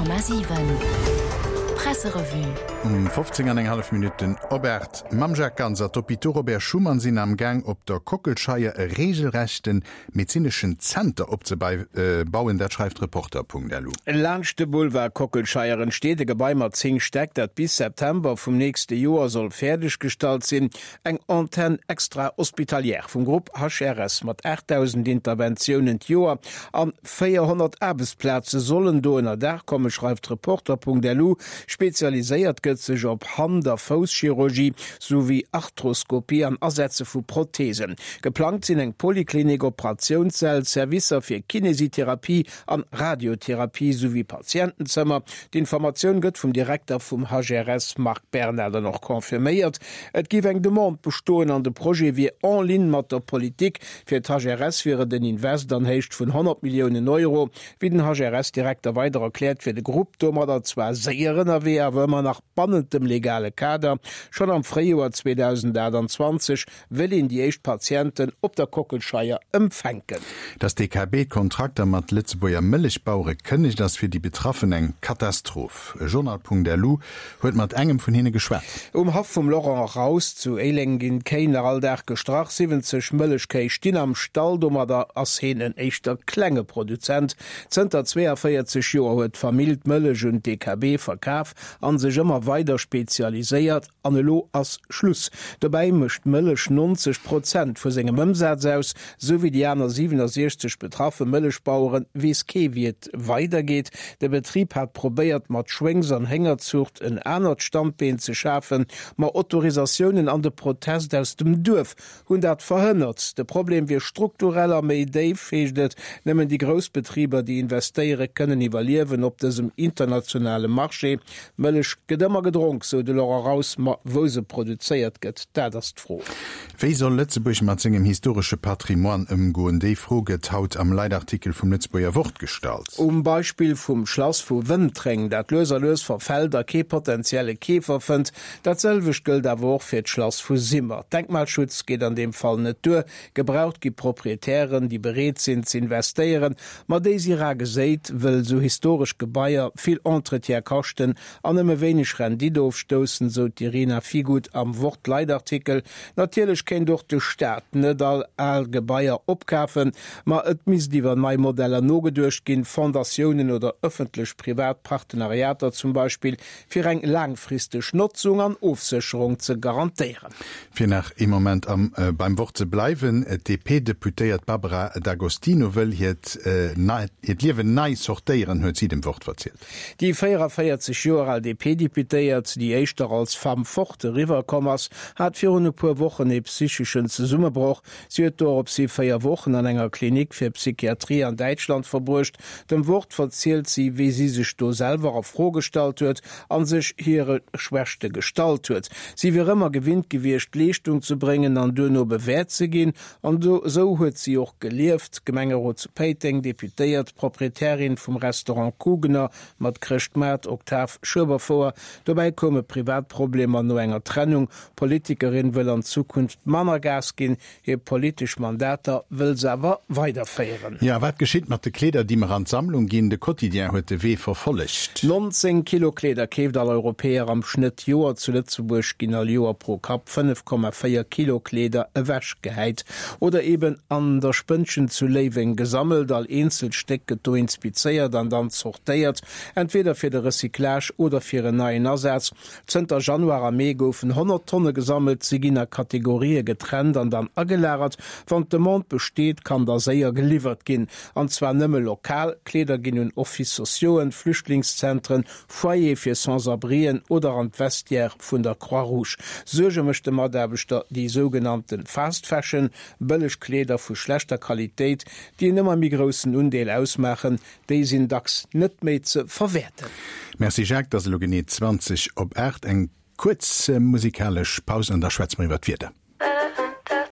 100,7 Presserevue. Um 15 an eng hallef Minutten op 8 mam Jacques Ganser. D'Hôpitaux Robert Schuman sinn am Gaang op der Kockelscheier e regelrechte medezineschen Zenter opzebauen, dat schreift Reporter.lu. Laanscht de Boulevard Kockelscheier entsteet e Gebai mat 10 Stäck, dat bis September vum nächste Joer soll fäerdeg gestallt sinn. Eng Antenne extra-hospitalière vum Grupp HRS mat 8.000 Interventiounen d'Joer an 400 Aarbechtsplaze sollen do ënner Daach kommen, schreift Reporter.lu. Spezialiséiert gëtt sech op Hand a Fousschirurgie souwéi Arthroskopie an Asetze vu Protheesen. Geplangt sinn eng Poliklinik, Operatiounssäll, Servicer fir Kinesitherapie an Radiotherapie souwéi Patientenzëmmer. D'Informatioun gëtt vum Direkter vum HRS Marc Berna dann och confirméiert. Et géif eng Demande bestoen an de Projet wier en ligne mat der Politik. Fir d'HRS wier et en Invest an Héicht vun 100 Milliounen Euro. Wéi den HRS-Direkter weider erkläert, wier de Grupp domadder zwar séier ënnerwee, awer ëmmer nach bannent dem legale Kader. Schonn am Fréijoer 2028 wëll een déi éischt Patienten op der Kockelscheier empfänken. Datt d'DKB d'Kontrakter mat Lëtzebuerger Mëllechbauere kënnegt, ass fir déi Betraffen eng Katastroph. Journal.lu huet mat engem vun hinne geschwat. Um Haff vum Laurent Raus zu Éileng ginn d'Kéi nach all Dag gestrach. 70 Mëllechkéi stinn am Stall. Domadder ass heen en éischter klenge Produzent. Zënter 42 Joer huet d'Famill d'Mëllech un d'DKB verkaf an sech ëmmer weider spezialiséiert. An elo ass Schluss. Dobäi mécht d'Mëllech 90 Prozent vu sengem Ëmsaz aus. Sou wéi déi aner 67 betraffe Mëllechbaueren, weess kee wéi et weidergeet. De Betrib hat probéiert mat Schwéngs an Héngerzuucht en anert Standbeen ze schafen, ma Autorisatiounen an de Protest aus dem Duerf hunn dat verhënnert. De Problem wier strukturell a méi déif, heescht et. Nëmmen déi grouss Betriber, déi investéiere kënnen iwwerliewen op dësem internationale Marché. Mëllech gëtt ëmmer gedronk, sou de Laurent Raus, ma wou se produzéiert gëtt, dat ass d'Fro. Wéi soll Lëtzebuerg mat sengem historesche Patrimoine ëmgoen? Déi Fro gëtt haut am Leitartikel vum Lëtzebuerger Wort gestallt. Um Beispill vum Schlass vu Wëntreng, dat lues a lues verfält a kee potentielle Keefer fënnt. Dat selwecht gëllt awer och fir d'Schlass vu Simmer. Denkmalschutz geet an deem Fall net duer. Gebraucht gi Proprietären, déi bereet sinn z'investéieren, ma déi si rar geséit, wëll sou historesch Gebaier vill Entretien kaschten an nëmme wéineg Rendite ofstoussen, sou d'Irina Figut am Wort-Leitartikel. Natierlech kéint och de Staat net all al Gebaier opkafen, ma et misst iwwer nei Modeller nogeduecht ginn, Fondatiounen oder ëffentlech-privat Partenariater zum Beispill, fir eng laangfristeg Notzung an Ofsécherung ze garantéieren. Fir nach ee Moment am beim Wort ze bleiwen, D'DP-Deputéiert Barbara D'Agostino wëll hiert hiert Liewen nei sortéieren, huet si dem Wort verzielt. Déi 44 Joer al DP-Deputéiert, déi éischter als Femme forte eriwwer komm ass, hat virun e puer Wochen ee psycheschen Zesummebroch. Si huet doropshi 4 Wochen an enger Klinik fir Psychiatrie an Däitschland verbruecht. Dem Wort verzielt si, wéi si sech do selwer a Fro gestallt huet a sech hire Schwächte gestallt huet. Si wier ëmmer gewinnt gewiescht, Leeschtung ze bréngen an duerno bewäert ze ginn. An esou huet si och gelieft, Gemengerot zu Péiteng, Deputéiert, Proprietärin vum Restaurant Kugener mat Chrëschtmaart, Oktav, Schueberfouer. Dobäi koume privat Problemer no enger Trennung. D'Politikerin wëll an Zukunft manner Gas ginn, Hir politesch Mandater wëll se awer weiderféieren. Jo, a wat geschitt mat de Kleeder, déi mer an d'Sammlung ginn? De Quotidien huet de Wee verfollegt. 19 Kilo Kleeder keeft all Europäer am Schnëtt d'Joer. Zu Lëtzebuerg ginn all Joer pro Kapp 5,4 Kilo Kleeder ewechgehäit oder eben an der Spënnchen zu Léiweng gesammelt. All eenzelt Stéck gëtt do inspizéiert an dann zortéiert, entweder fir de Recyclage oder fir en neien Asaz. Zënter Januar a Mee goufen 100 Tonne gesammelt. Si ginn a Kategorië getrennt an dann agelagert. Wann d'Demande besteet, kann da séier geliwwert ginn. An zwar nëmme lokal. Kleeder ginn un Office sociauxen, Flüchtlingszentren, Foyere fir Sans-abrien oder an d'Vestiaire vun der Croix-Rouge. Suerge mécht de Mataarbechter déi sougenannte Fast Fashion, bëlleg Kleeder vu schlechter Qualitéit, déi en ëmmer méi groussen Undeel ausmaachen. Déi sinn dacks net méi ze verwäerten. Merci Jacques, et ass elo genee 20 op 8. Eng kuerz musikalesch Paus an da schwätze mer iwwer d'Wieder.